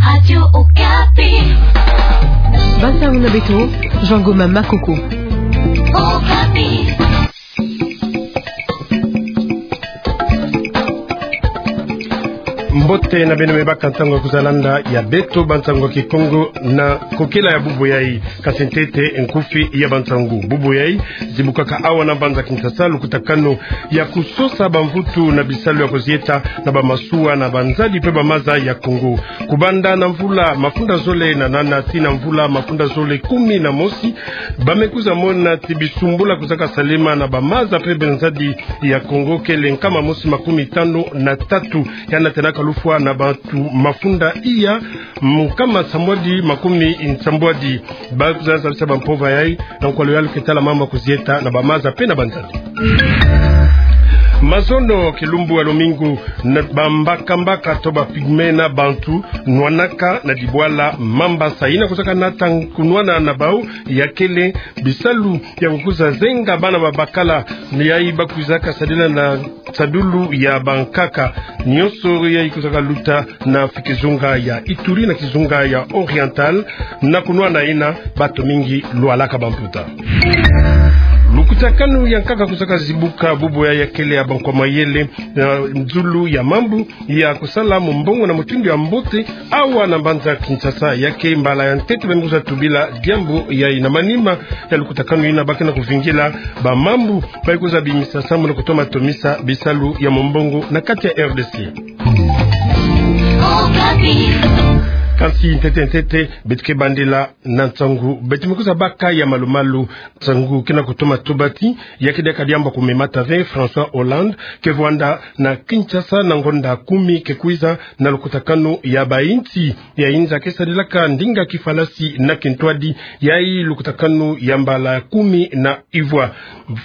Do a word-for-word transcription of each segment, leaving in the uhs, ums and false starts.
Radio Okapi. Bansango na beto, Jean Goma Makoko. Okapi. Mbote na beno me baka ntangu ya kwiza landa ya beto bansango ya Kikongo na kokela ya bubu yayi. Kasi ntete nkufi ya bansango. Bubu yayi zibukaka awa na mbanza Kinshasa lukutakanu ya kusosa bamvutu na bisalu ya kuzieta na bamasuwa na banzadi pe bamaza ya Kongo. Kubanda na mvula mafunda zole na nana tii na mvula mafunda zole kumi na mosi, ba me kwiza mona ti bisumbula kwizaka salema na bamaza pe banzadi ya Kongo kele nkama mosi makumi tanu na tatu, ya natenaka lufwa na bantu mafunda iya nkama nsambwadi makumi nsambwadi. Ba kwiza zabisa bampova yayi na nkwalu yalu ke tala mambu ya kuzieta na bamaza pe na banzadi. Mazono kilumbu ya lumingu, na bambakambaka to ba pygmées na bantu nwanaka na dibwala mamba sa yina kwizaka nata kunwana na bau ya kele bisalu ya kukwiza zenga bana babakala, yayi ba kwizaka sadila na sadulu ya bankaka. Nyonso yayi kwizaka luta na fi kizunga ya Ituri na kizunga ya Oriental, na kunwana yina bato mingi lwalaka bamputa. Lukutakanu ya nkaka kwizaka zibuka bubu yayi ya kele ya bankwa mayele na zulu ya mambu ya kusala mombongo na mutindu ya mbote awa na mbanza Kinshasa. Ya ke mbala ya ntete ba me kwiza tubila diambu yayi. Na manima ya lukutakanu yina ba ke na kuvingila bamambu ba kwiza bimisa samu na kutoma tomisa bisalu ya mombongo na kati ya R D C. Kasi ntete ntete, beto ke bandila na nsangu beto me kwiza baka ya malumalu. Nsangu ke na kutoma tuba ti ya ke diaka diambu ya kumemata ve, François Hollande ke vwanda na Kinshasa na ngonda kumi ke kwiza na lukutakanu ya bainsi ya inza ke sadilaka ndinga kifalasi na kintwadi, yayi lukutakanu ya mbala kumi na ivwa.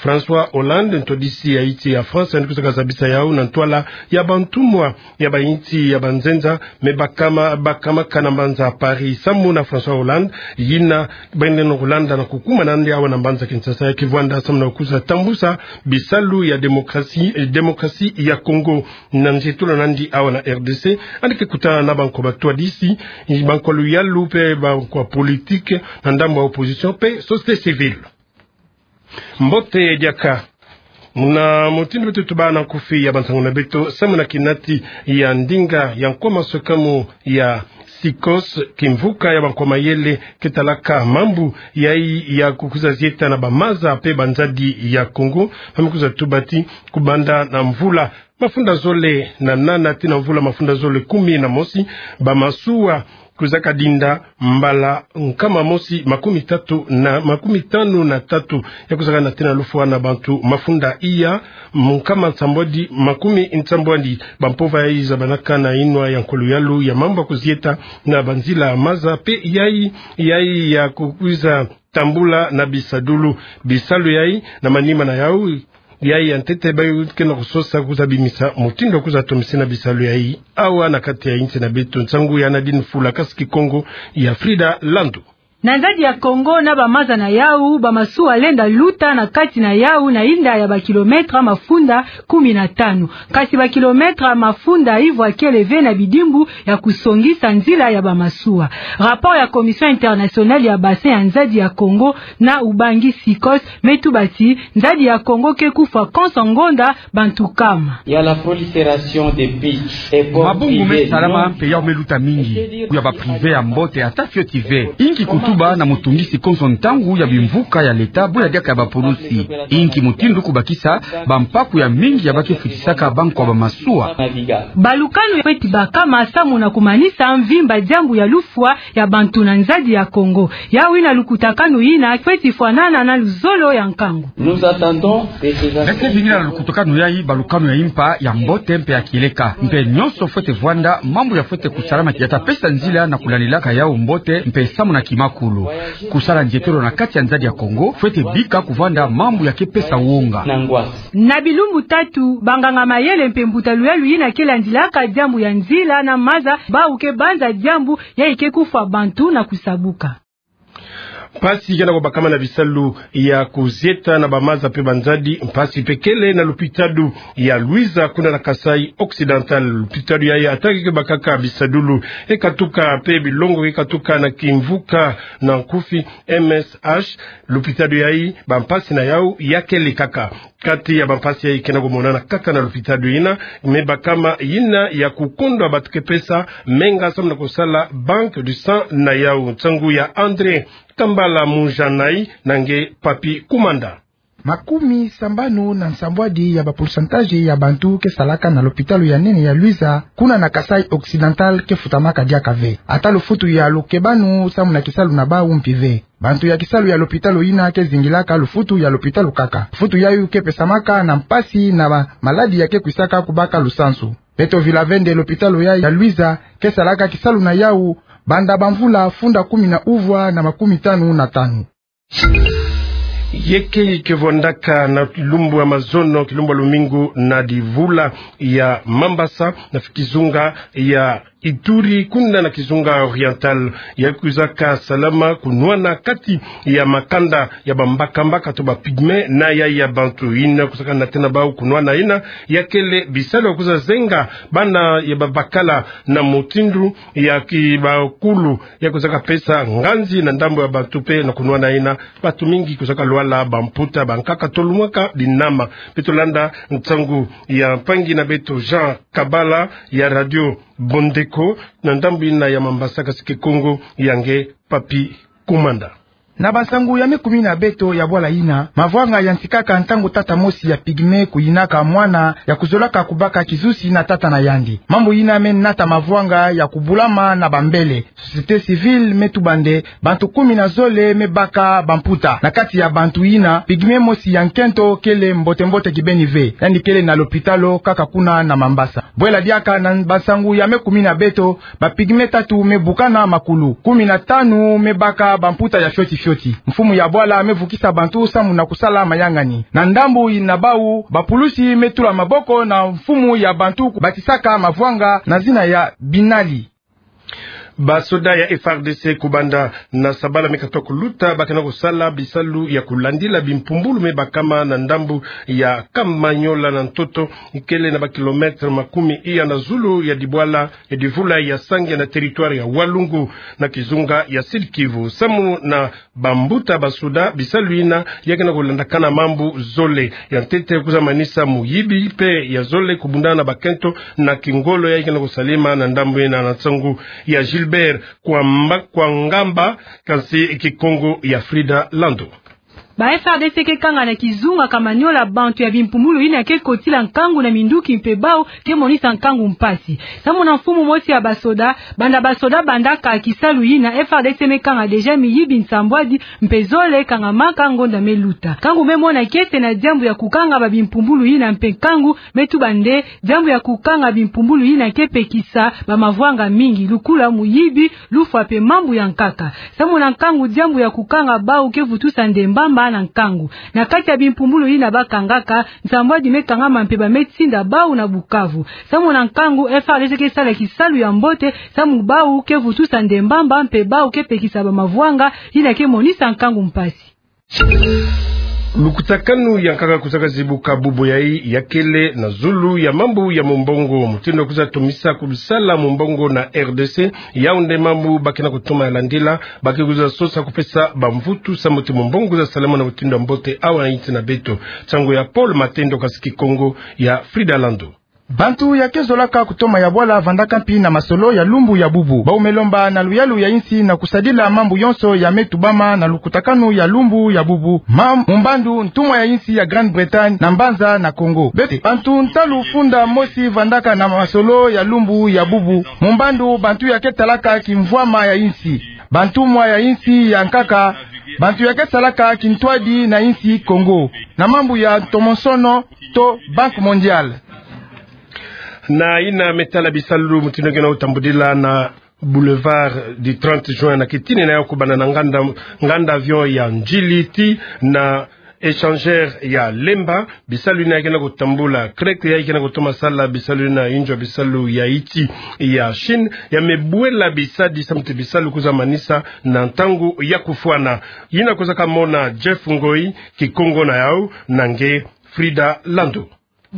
François Hollande, ntwadisi ya insi ya France, yandi kwizaka zabisa yau na ntwala ya bantumwa ya bainsi ya banzenza me bakama, bakamaka na mbanza Paris samu na François Hollande, yina ba yenda na kulanda na kukuma nandi awa na mbanza Kinshasa ya ke vwanda samu na kwiza tambusa bisalu ya démocratie, eh, démocratie ya Kongo. Na nzietolo nandi awa na R D C, yandi ke kutana na bankwa batwadisi, bankwa luyalu pe bankwa politique, na ndambu ya opposition pe société civile. Mbote diaka. Muna mutindu beto tuba na nkufi ya bansangu na beto, samu na kinati ya ndinga ya nkwa maswekamu ya SICOS, kimvuka ya bankwa mayele ke talaka mambu yayi ya kukwiza zieta na bamaza pe banzadi ya Kongo, ba me kwiza tuba ti kubanda na mvula mafunda zole na nana tii na mvula mafunda zole kumi na mosi, bamasuwa kwizaka dinda mbala nkama mosi makumi tatu na, makumi tanu na tatu, ya kwizaka nata na lufwa na bantu mafunda iya nkama nsambwadi, makumi nsambwadi. Bampova yayi zabanaka na yinwa ya nkwa luyalu ya mambu ya kuzieta na banzila maza pe yayi, yayi ya kukwiza tambula na bisadulu. Bisalu yayi na manima na yau, yayi ya ntete bayi ke na kusosa kwiza bimisa mutindu ya kwiza tomisa na bisalu yayi awa na kati ya insi na beto. Nsangu ya Nadine Fula, kasi Kikongo ya Frida Landu. Na nzadi ya Kongo na bamaza na yau, bamasuwa lenda luta na kati na yau na yinda ya bakilometre mafunda kumi na tanu. Kasi bakilometre mafunda ivwa kele ve na bidimbu ya kusongisa nzila ya bamasuwa. Rapport ya Commission Internationale ya Bassin ya nzadi ya Kongo na Ubangi SICOS me tuba ti nzadi ya Kongo ke kufwa konso ngonda bantu nkama. Il y a la prolifération des beach et ports privés. Mabungu me salama mpe yau me luta mingi, ya ba privé ya mbote ata fioti ve. Inki kutuba na mutungisi konso ntangu ya bimvuka ya leta, bo ya diaka ya bapulusi? Inki mutindu kubakisa bampaku ya mingi ya ba ke futisaka bankwa bamasuwa? Balukanu fweti bakama samu na kumanisa mvimba diambu ya lufwa ya bantu na nzadi ya Kongo. Yau yina lukutakanu yina fweti fwanana na luzolo ya nkangu. Nous attendons de ces... Bese vingila na lukutakanu yayi balukanu ya impa, ya mbote mpe ya kieleka. Mpe nyonso fwete vwanda, mambu ya fwete kusalama ya ta pesa nzila na kulandilaka yau mbote mpe samu na kimakulu. Kusala nzietolo na kati ya nzadi ya Kongo fwete bika kuvwanda mambu ya ke pesa wonga. Na bilumbu tatu, banganga mayele mpe mbuta luyalu yina ke landilaka diambu ya nzila na maza, bau ke banza diambu yayi ke kufwa bantu na kusabuka. Mpasi kena ko bakama na bisalu ya kuzieta na bamaza mpe banzadi, mpasi mpe kele na lopitalo ya Luiza kuna na Kasaï Occidental. Lopitalo yayi ata ke bakaka bisadulu, e katuka mpe bilongo ke katuka na kimvuka na nkufi, M S H, lopitalo yayi bampasi na yau ya kele kaka. Kati ya bampasi yayi kena ko monana kaka na lopitalo yina, me bakama yina ya kukondwa bato ke pesa menga samu na kusala banque du sang na yau. Nsangu ya André Kambala Mujanai na nge Papy Kumanda. Makumi sambanu na nsambwadi ya ba pourcentage ya bantu ke salaka na lopitalo ya nene ya Luiza, kuna na Kasaï Occidental, ke futamaka diaka ve. Ata lufutu ya lukebanu samu na kisalu na bau mpi ve. Bantu ya kisalu ya lopitalo yina ke zingilaka lufutu ya lopitalo kaka. Lufutu yayu ke pesamaka na mpasi na ba maladi ya ke kwisaka kubaka lusansu. Beto Vilavende, lopitalo ya, ya Luiza ke salaka kisalu na yau banda bamvula funda kumi na uvwa na makumi tanu na tanu. Yeke ke vwandaka na kilumbu ya mazono, kilumbu ya lumingu, na divula ya Mambasa, na kizunga ya Ituri, kuna na kizunga oriental, ya kwizaka salama kunwana kati ya makanda ya bambaka-mbaka to ba pygmée na ya, ya bantu yina kwizaka natena bau kunwana yina, ya kele bisalu ya kwiza zenga bana ya babakala na mutindu ya kibakulu, ya kwizaka pesa nganzi na ndambu ya bantu mpe na kunwana yina, bantu mingi kwizaka lwala bamputa, bankaka tolumwaka binama. Beto landa nsangu ya mpangi na beto Jean Kabala ya Radio Bondeko na ndambu yina ya Mambasa, kasi Kikongo ya nge Papy Kumanda. Na bansangu ya me kumi na beto ya bwala yina, mavwanga ya nsikaka ntangu tata mosi ya pygmée kuyinaka mwana ya kuzolaka kubaka kizusi na tata na yandi. Mambu yina me nata mavwanga ya kubulama na bambele. Société civile me tuba nde bantu kumi na zole me baka bamputa. Na kati ya bantu yina, pygmée mosi ya nkento kele mbote-mbote kibeni ve. Yandi kele na lopitalo kaka kuna na Mambasa. Bwela diaka na bansangu ya me kumi na beto, ba pygmée tatu me bukana makulu, kumi na tanu me baka bamputa ya fioti-fioti. Mfumu ya bwala me vukisa bantu samu na kusala mayangani. Na ndambu na bau, bapulusi me tula maboko na mfumu ya bantu kubatisaka mavwanga na zina ya Binali. Basoda ya F R D C kubanda na sabala me katoka kuluta, ba kena kusala bisalu ya kulandila bimpumbulu me bakama na ndambu ya Kamanyola na ntoto, ikele na ba kilomètre makumi iya na zulu ya dibwala ya divula ya Sangya na territoire ya Walungu na kizunga ya Sud-Kivu. Samu na bambuta basoda, bisalu yina ya kena kulandakana mambu zole. Ya ntete kwiza manisa muyibi mpe ya zole kubundana na bakento na kingolo ya kena kusalema na ndambu yina. Na nsangu ya Gilbert Kwamba, Kwangamba, kasi Kikongo ya Frida Lando. Ba F R D C ke kanga na kizunga Kamanyola bantu ya bimpumbulu yina ke kotila nkangu na minduki mpe bau ke monisa nkangu mpasi. Samu na mfumu mosi ya basoda, banda basoda bandaka kisalu yina, F R D C me kanga déjà miyibi nsambwadi mpe zole kangamaka ngonda me luta. Nkangu me mona kiese na diambu ya kukanga ba bimpumbulu yina mpe nkangu me tuba nde diambu ya kukanga bimpumbulu yina ke pekisa bamavwanga mingi, lukula, muyibi, lufwa mpe mambu ya nkaka. Samu na nkangu, diambu ya kukanga bau ke vutusa nde mbamba na nkangu. Na kati ya bimpumbulu yina ba kangaka, nsambwadi me kangama mpe ba me tinda bau na Bukavu. Samu na nkangu, F R D C ke sala kisalu ya mbote, samu bau ke vutusa nde mbamba mpe bau ke pekisa bamavwanga yina ke monisa nkangu mpasi. Lukutakanu ya nkaka kwizaka zibuka bubu yayi ya kele na zulu ya mambu ya mumbongo. Mutindu kwiza tumisa kusala mumbongo na R D C, yau nde mambu ba kena kutoma ya landila, ba ke kwiza sosa kupesa bamvutu samu ti mumbongo kwiza salama na mutindu ya mbote awa na insi na beto. Nsangu ya Paul Matendo, kasi Kikongo ya Frida Lando. Bantu ya ke zolaka kutoma ya bwala vandaka mpi na masolo ya lumbu ya bubu. Bau me lomba na luyalu ya insi na kusadila mambu yonso ya me tubama na lukutakanu ya lumbu ya bubu, ma mumbandu ntumwa ya insi ya Grande-Bretagne na mbanza na Congo. Beto bantu ntalu funda mosi vandaka na masolo ya lumbu ya bubu, mumbandu bantu ya ke talaka kimvwama ya insi, bantumwa ya insi ya nkaka, bantu ya ke salaka kintwadi na insi Congo na mambu ya ntomosono to Banque Mondiale. Na yina me tala bisalu mutindu kena kutambudila na Boulevard du trente juin, na kitinina ya kubanda na nganda, nganda avion ya Ndjili tii na échangeur ya Lemba, bisalu yina ke na kutambula, CREC yayi ke na kutoma sala bisalu yina inzo ya bisalu ya iti ya Chine, ya me bwela bisadi samu ti bisalu kwiza manisa na ntangu ya kufwana. Yina kwiza kamona Jeff Ngoyi, Kikongo na yau, na nge Frida Lando.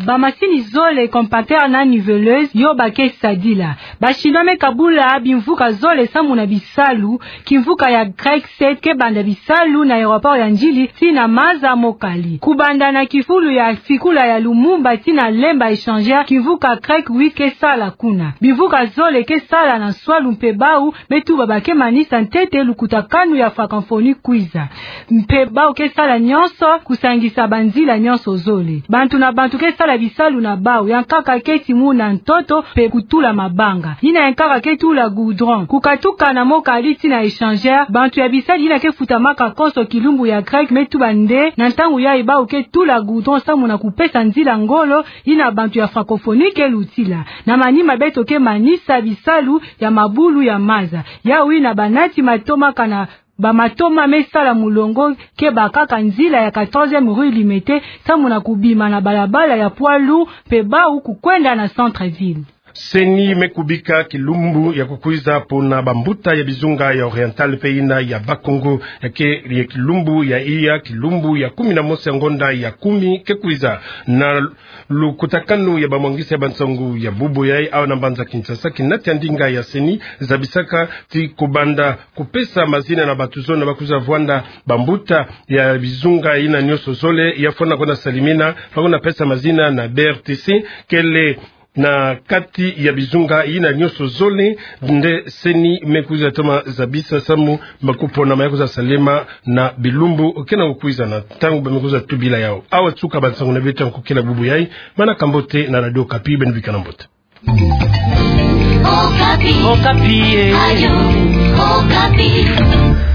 Bamasini zole, compacteur na niveleuse, yo ba ke sadila. Ba Chinois me kabula bimvuka zole samu na bisalu. Kimvuka ya CREC sept ke banda bisalu na aéroport ya Ndjili tii na Maza Mokali. Kubanda na kifulu ya sikula ya Lumumba tii na Lemba échangeur, kimvuka CREC huit ke sala kuna. Bimvuka zole ke sala na nswalu mpe bau me tuba ba ke manisa ntete lukutakanu ya francophonie kwiza. Mpe bau ke sala nyonso kusangisa banzila nyonso zole. Bantu na bantu ke sala bisalu na bau, ya nkaka ke timuna ntoto mpe kutula mabanga. Yina ya nkaka ke tula goudron. Kukatuka na Mokali tii na échangeur, bantu ya bisadi yina ke futamaka konso kilumbu ya CREC me tuba nde na ntangu yayi bau ke tula goudron samu na kupesa nzila ngolo yina bantu ya francophonie ke lutila. Na manima beto ke manisa bisalu ya mabulu ya maza. Yau yina banati matoma kana bamatoma me sala mulongo ke bakaka nzila ya quatorzième rue Limete samu na kubima na balabala ya poids lourd mpe bau kukwenda na centre-ville. CENI me kubika kilumbu ya kukwiza pona bambuta ya bizunga ya Oriental mpe yina ya Bas-Congo, ya ke ya kilumbu ya iya, kilumbu ya kumi na mosi ya ngonda ya kumi ke kwiza. Na lukutakanu ya bamwangisi ya bansangu ya bubu yayi awa na mbanza Kinshasa, kinati ya ndinga ya CENI zabisaka ti kubanda kupesa mazina na bantu zole ba kwiza vwanda bambuta ya bizunga yina nyonso zole, ya fwana kwenda salimina, ba kwenda pesa mazina na B R T C, kele na kati ya bizunga yina nyonso zole, nde CENI me kwiza toma zabisa samu ba kuponama ya kwiza salema na bilumbu ke na kukwiza na ntangu ba me kwiza tubila yau. Awa suka bansangu na beto ya nkokila bubu yayi, manaka mbote na Radio Okapi, beno bikana mbote. Okapi. Okapi, eh. Radio Okapi.